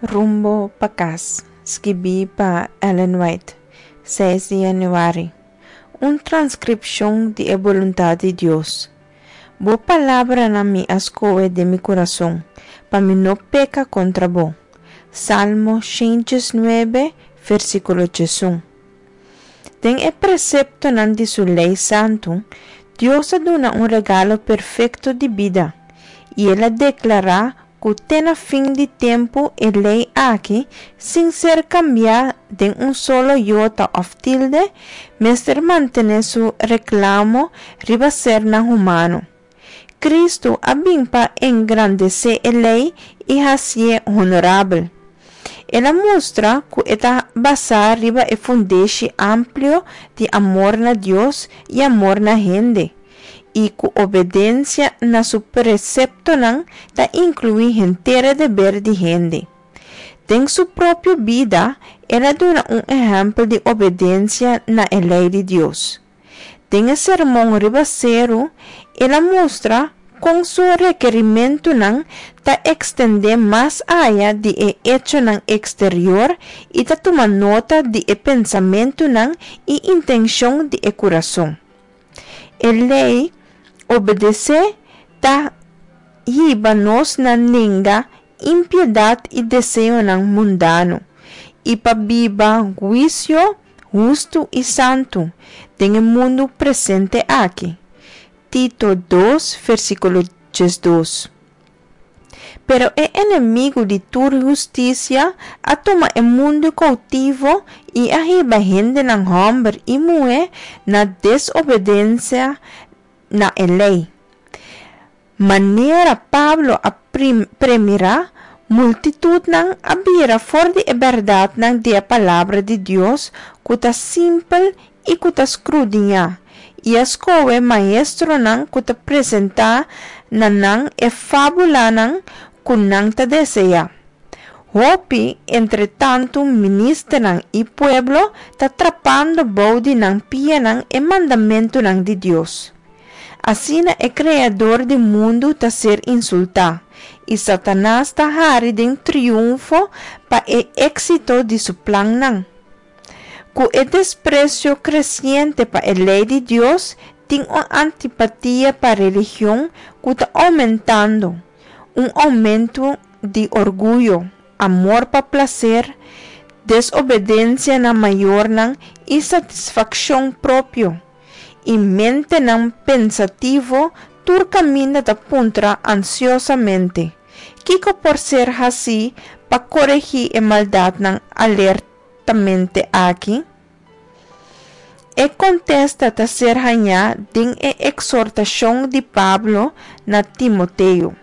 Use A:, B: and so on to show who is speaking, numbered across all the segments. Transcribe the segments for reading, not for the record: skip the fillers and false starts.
A: Rumbo pa Kas, skibí pa Ellen White, seis di yanüari. Un transkripshon di e boluntat di Dios. Bo palabranan mi a skohe den mi kurason, pa mi no peka kontra bo. Salmo 119, versíkulo 11. Den e preseptonan di su lei santu, Dios a duna un regalo perfekto di bida, i el a deklará ku te na fin di tempu e lei aki, sin ser kambiá den un solo yota òf tilde, mester mantené su reklamo riba sernan humano. Kristu a bin pa engrandesé e lei i hasié honorabel. El a mustra ku e ta basá riba e fundeshi amplio di amor na Dios i amor na hende, i ku obedensia na su preseptonan ta inkluí henter e deber di hende. Den su propio bida, el a duna un ehèmpel di obedensia na e lei di Dios. Den e Sermon Riba Seru, el a mustra kon su rekerimentunan ta ekstendé mas aya di e echonan eksterior i ta tuma nota di e pensamentunan i intenshon di e kurason. E lei obedesé ta hiba nos na nenga impiedat i deseonan mundano i pa biba huisio hustu i santu den e mundu presente aki. Tito dos, versíkulo 12. Pero e enemigu di tur hustisia a tuma e mundu koutivo i a hiba hendenan hòmber i muhé na desobedensia na e lei. Manera Pablo a premirá, multitutnan a bira for di e bèrdatnan di e Palabra di Dios ku ta simpel i ku ta skrudiñá, i a skohe maestronan ku ta presentá na nan e fábulanan ku nan ta deseá. Hopi, entretantu, ministernan i pueblo ta trapando bou di nan pianan e mandamentunan di Dios. Asina e Kreador di mundu ta ser insultá, i Satanas ta hari den triunfo pa e éksito di su plannan. Ku e despresio kresiente pa e lei di Dios, tin un antipatia pa religion ku ta oumentando, un oumentu di orguyo, amor pa plaser, desobedensia na mayornan i satisfakshon propio. I mentenan pensativo tur kaminda ta puntra ansiosamente, Kiko por ser hasí pa koregí e maldatnan alertamente aki? E kontesta ta ser hañá den e eksortashon di Pablo na Timoteo,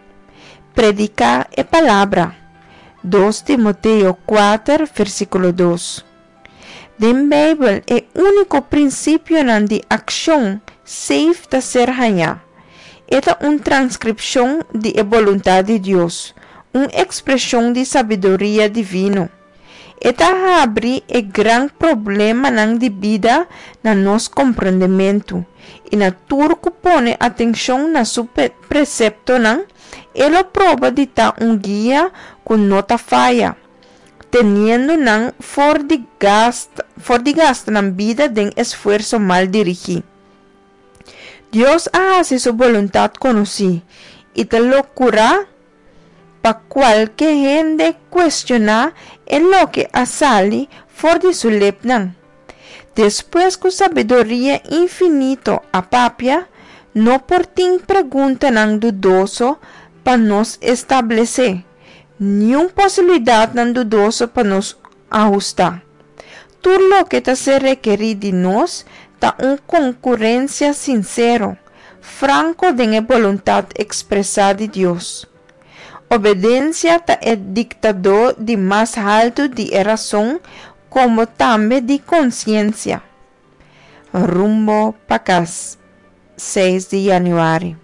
A: Prediká e palabra. Dos Timoteo kuater, versíkulo dos. Den Beibel e úniko prinsipionan di akshon seif ta ser hañá. E ta un transkripshon di e boluntat di Dios, un ekspreshon di sabiduria divino. E ta habri e gran problemanan di bida na nos komprendementu, i na tur ku pone atenshon na su preseptonan, e lo proba di ta un guia ku no ta faya, teniendo nan for di gasta for di gasta nan bida den esfuerso mal dirigí. Dios a hasi su boluntat konosí, i ta lokurá pa kualke hende kuestioná e loke a sali for di su lepnan. Despues ku sabiduria infinito a papia, no por tin preguntanan dudoso pa nos establesé, niun posibilidatnan dudoso pa nos ahustá. Tur loke ta ser rekerí di nos ta un konkurensia sinsero, franko den e boluntat ekspresá di Dios. Obedensia ta e diktadó di mas haltu di e rason komo tambe di konsiensia. Rumbo pa kas, seis di yanüari.